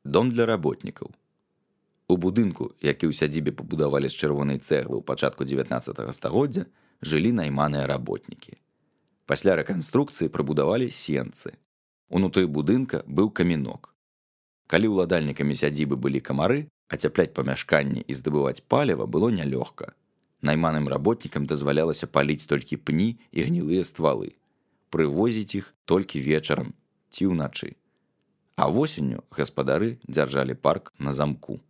Дом для работнікаў. У будынку, які ў сядзібе пабудавалі з чырвонай цэглы ў пачатку 19 стагоддзя, жылі найманыя работнікі. Пасля рэканструкцыі прыбудавалі сенцы. Унутры будынка быў камінок. Калі ўладальнікамі сядзібы былі камары, ацяпляць памяшканні і здабываць паліва было нялёгка. Найманым работнікам дазвалялася паліць толькі пні і гнілыя ствалы. Прывозіць іх толькі вечарам ці ўначы. А восенню гаспадары дзяржалі парк на замку.